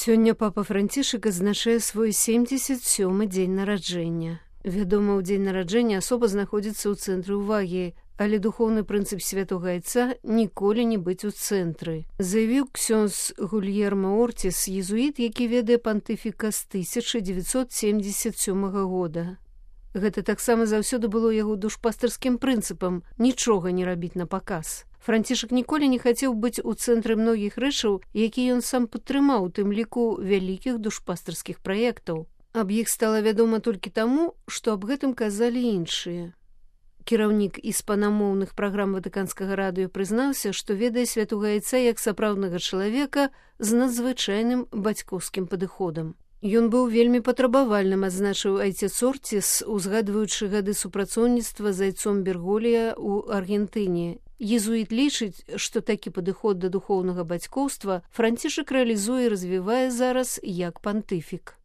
Сёння папа Францішак адзначае свой 77-й дзень нараджэння. Вядома, у дзень нараджэння асоба знаходзіцца ў цэнтры ўвагі, але духоўны прынцып святога айца ніколі не быць у цэнтры. Заявіў ксёндз Гульермо Ортіс, езуіт, які ведае пантыфіка з 1977 года. Гэта таксама заўсёды было яго душпастарскім прынцыпам нічога не рабіць на паказ. Францішак ніколі не хацеў быць у цэнтры многіх рэчаў, якія ён сам падтрымаў, у тым ліку вялікіх душпастарскіх праектаў. Аб іх стала вядома толькі таму, што аб гэтым казалі іншыя. Кіраўнік іспанамоўных праграм ватыканскага радыё прызнаўся, што ведае святога айца як сапраўднага чалавека з надзвычайным бацькоўскім падыходам. Ён быў вельмі патрабавальным, адзначыў айцец Ортіс, узгадваючы гады супрацоўніцтва з айцом Берголія ў Аргентыне. Езуіт лічыць, што такі падыход да духоўнага бацькоўства Францішак рэалізуе і развівае зараз як пантыфік.